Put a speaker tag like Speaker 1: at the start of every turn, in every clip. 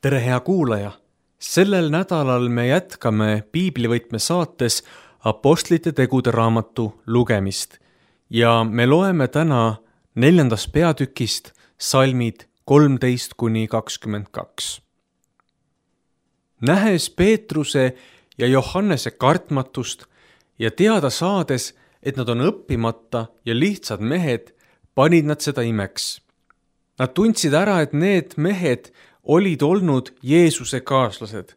Speaker 1: tere, hea kuulaja! Sellel nädalal me jätkame Piiblivõtme saates Apostlite tegude raamatu lugemist ja me loeme täna 4. peatükist salmid 13-22. Nähes Peetruse ja Johannese kartmatust ja teada saades, et nad on õppimata ja lihtsad mehed, panid nad seda imeks. Nad tundsid ära, et need mehed olid olnud Jeesuse kaaslased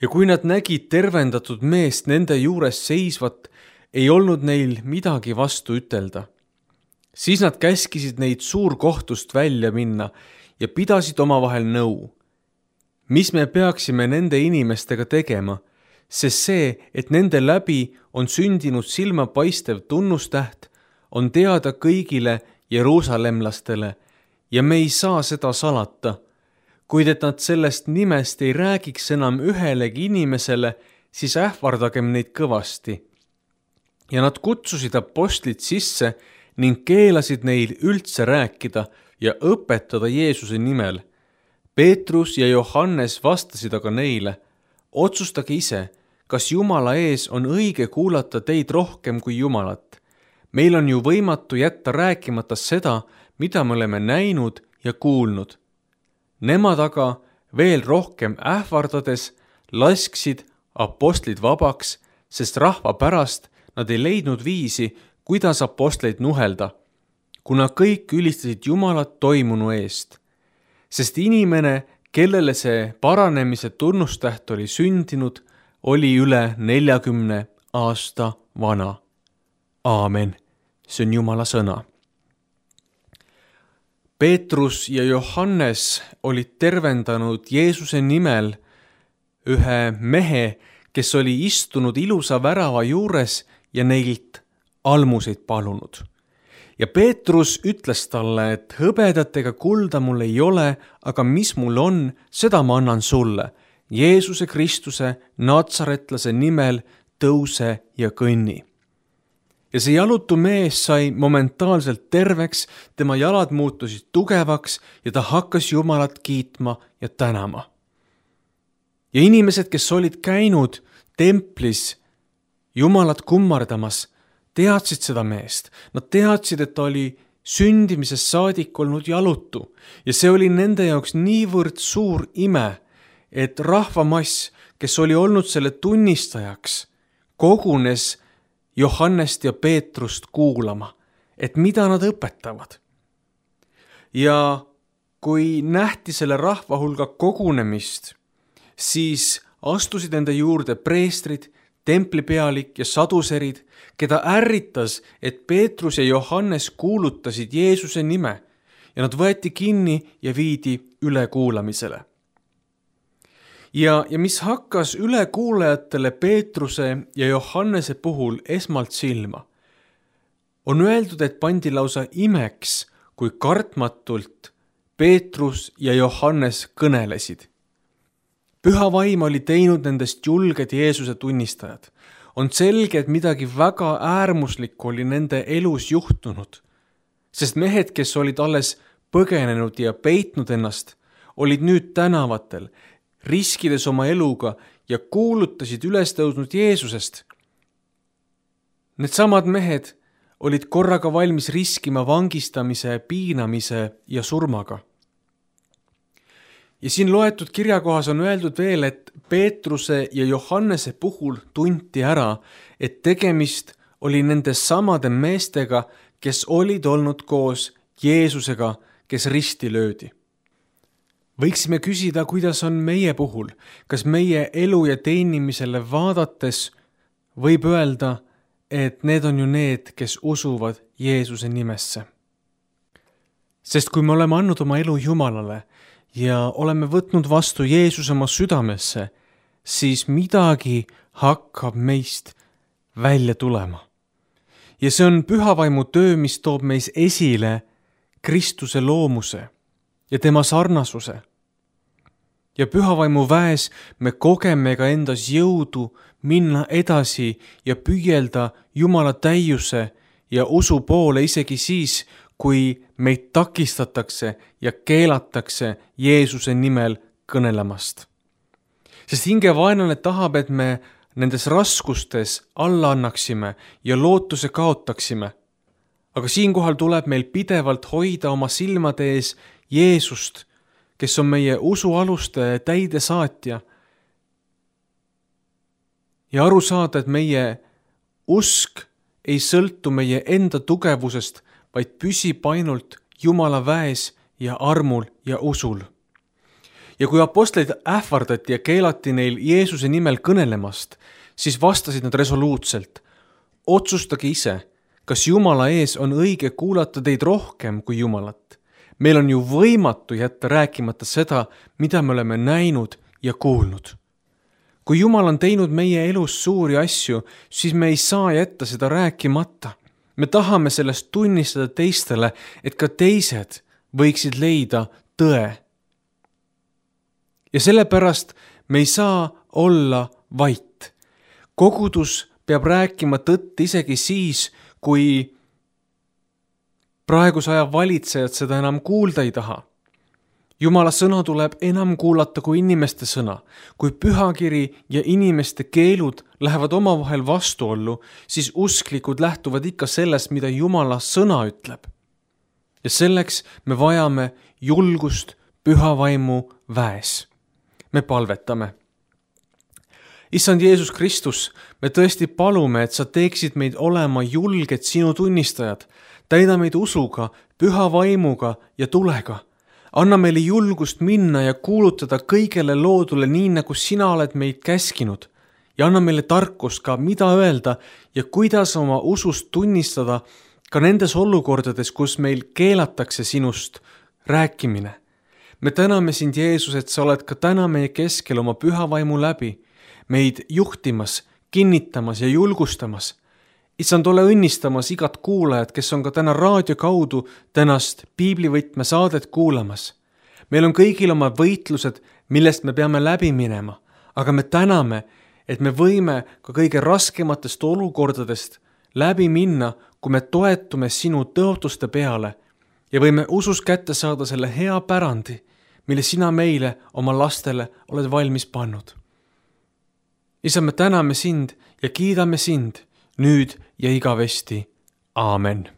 Speaker 1: ja kui nad nägid tervendatud meest nende juures seisvat, ei olnud neil midagi vastu ütelda. Siis nad käskisid neid suurkohtust välja minna ja pidasid omavahel nõu. Mis me peaksime nende inimestega tegema, sest see, et nende läbi on sündinud silmapaistev tunnustäht, on teada kõigile jeruusalemlastele ja me ei saa seda salata. Kuid et nad sellest nimest ei räägiks enam ühelegi inimesele, siis ähvardagem neid kõvasti. Ja nad kutsusid apostlid sisse ning keelasid neil üldse rääkida ja õpetada Jeesuse nimel. Peetrus ja Johannes vastasid aga neile, otsustage ise, kas Jumala ees on õige kuulata teid rohkem kui Jumalat. Meil on ju võimatu jätta rääkimata seda, mida me oleme näinud ja kuulnud. Nemad aga veel rohkem ähvardades lasksid apostlid vabaks, sest rahva pärast nad ei leidnud viisi, kuidas apostleid nuhelda, kuna kõik ülistasid Jumalat toimunu eest. Sest inimene, kellele see paranemise tunnustäht oli sündinud, oli üle 40 aasta vana. Aamen. See on Jumala sõna. Peetrus ja Johannes olid tervendanud Jeesuse nimel ühe mehe, kes oli istunud ilusa värava juures ja neilt almuseid palunud. Ja Peetrus ütles talle, et hõbedat ega kulda mul ei ole, aga mis mul on, seda ma annan sulle. Jeesuse Kristuse natsaretlase nimel tõuse ja kõnni. Ja see jalutu mees sai momentaalselt terveks, tema jalad muutusid tugevaks ja ta hakkas Jumalat kiitma ja tänama. Ja inimesed, kes olid käinud templis Jumalat kummardamas, teadsid seda meest. Nad teadsid, et ta oli sündimisest saadik olnud jalutu ja see oli nende jaoks niivõrd suur ime, et rahvamass, kes oli olnud selle tunnistajaks, kogunes Johannest ja Peetrust kuulama, et mida nad õpetavad. Ja kui nähti selle rahva hulga kogunemist, siis astusid nende juurde preestrid, templipealik ja saduserid, keda ärritas, et Peetrus ja Johannes kuulutasid Jeesuse nime ja nad võeti kinni ja viidi ülekuulamisele. Ja mis hakkas ülekuulajatele Peetruse ja Johannese puhul esmalt silma, on öeldud, et pandi lausa imeks, kui kartmatult Peetrus ja Johannes kõnelesid. Püha vaim oli teinud nendest julged Jeesuse tunnistajad. On selge, et midagi väga äärmuslikku oli nende elus juhtunud, sest mehed, kes olid alles põgenenud ja peitnud ennast, olid nüüd tänavatel, riskides oma eluga ja kuulutasid ülestõusnud Jeesusest. Need samad mehed olid korraga valmis riskima vangistamise, piinamise ja surmaga. Ja siin loetud kirjakohas on öeldud veel, et Peetruse ja Johannese puhul tunti ära, et tegemist oli nende samade meestega, kes olid olnud koos Jeesusega, kes risti löödi. Võiksime küsida, kuidas on meie puhul, kas meie elu ja teenimisele vaadates võib öelda, et need on ju need, kes usuvad Jeesuse nimesse. Sest kui me oleme andnud oma elu Jumalale ja oleme võtnud vastu Jeesuse oma südamesse, siis midagi hakkab meist välja tulema. Ja see on pühavaimu töö, mis toob meis esile Kristuse loomuse ja tema sarnasuse. Ja pühavaimu väes me kogeme ka endas jõudu minna edasi ja püüelda Jumala täiuse ja usu poole isegi siis, kui meid takistatakse ja keelatakse Jeesuse nimel kõnelemast. Sest hingevaenlane tahab, et me nendes raskustes alla annaksime ja lootuse kaotaksime. Aga siinkohal tuleb meil pidevalt hoida oma silmade ees Jeesust, kes on meie usualuste täidesaatja. Ja aru saada, et meie usk ei sõltu meie enda tugevusest, vaid püsib ainult Jumala väes ja armul ja usul. Ja kui apostleid ähvardati ja keelati neil Jeesuse nimel kõnelemast, siis vastasid nad resoluutselt: otsustage ise, kas Jumala ees on õige kuulata teid rohkem kui Jumalat. Meil on ju võimatu jätta rääkimata seda, mida me oleme näinud ja kuulnud. Kui Jumal on teinud meie elus suuri asju, siis me ei saa jätta seda rääkimata. Me tahame sellest tunnistada teistele, et ka teised võiksid leida tõe. Ja sellepärast me ei saa olla vait. Kogudus peab rääkima tõtt isegi siis, kui praeguse aja valitsejad seda enam kuulda ei taha. Jumala sõna tuleb enam kuulata kui inimeste sõna. Kui pühakiri ja inimeste keelud lähevad omavahel vastuollu, siis usklikud lähtuvad ikka sellest, mida Jumala sõna ütleb. Ja selleks me vajame julgust püha vaimu väes. Me palvetame. Issand Jeesus Kristus, me tõesti palume, et sa teeksid meid olema julged sinu tunnistajad. Täida meid usuga, püha vaimuga ja tulega. Anna meile julgust minna ja kuulutada kõigele loodule nii, nagu sina oled meid käskinud. Ja anna meile tarkust ka, mida öelda ja kuidas oma usust tunnistada ka nendes olukordades, kus meil keelatakse sinust rääkimine. Me täname sind, Jeesus, et sa oled ka täna meie keskel oma püha vaimu läbi, meid juhtimas, kinnitamas ja julgustamas. Issand, ole õnnistamas igat kuulajat, kes on ka täna raadio kaudu tänast piiblivõtme saadet kuulamas. Meil on kõigil oma võitlused, millest me peame läbi minema, aga me täname, et me võime ka kõige raskematest olukordadest läbi minna, kui me toetume sinu tõotuste peale ja võime usus kätte saada selle hea pärandi, mille sina meile oma lastele oled valmis pannud. Isa, me täname sind ja kiidame sind nüüd ja igavesti. Aamen.